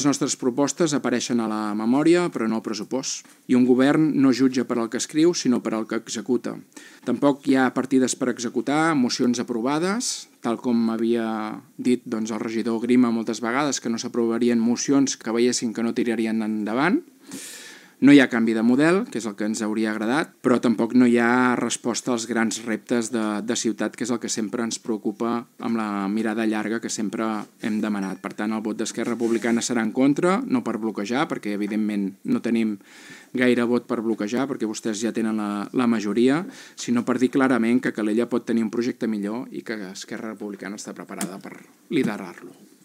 Les nostres propostes apareixen a la memòria, però no al pressupost. I un govern no jutja per al que escriu, sinó per al que executa. Tampoc hi ha partides per executar, mocions aprovades, tal com havia dit el regidor Grima moltes vegades, que no s'aprovarien mocions que veiessin que no tirarien endavant. No hi ha canvi de model, que és el que ens hauria agradat, però tampoc no hi ha resposta als grans reptes de ciutat, que és el que sempre ens preocupa amb la mirada llarga que sempre hem demanat. Per tant, el vot d'Esquerra Republicana serà en contra, no per bloquejar, perquè evidentment no tenim gaire vot per bloquejar, perquè vostès ja tenen la majoria, sinó per dir clarament que Calella pot tenir un projecte millor i que Esquerra Republicana està preparada per liderar-lo.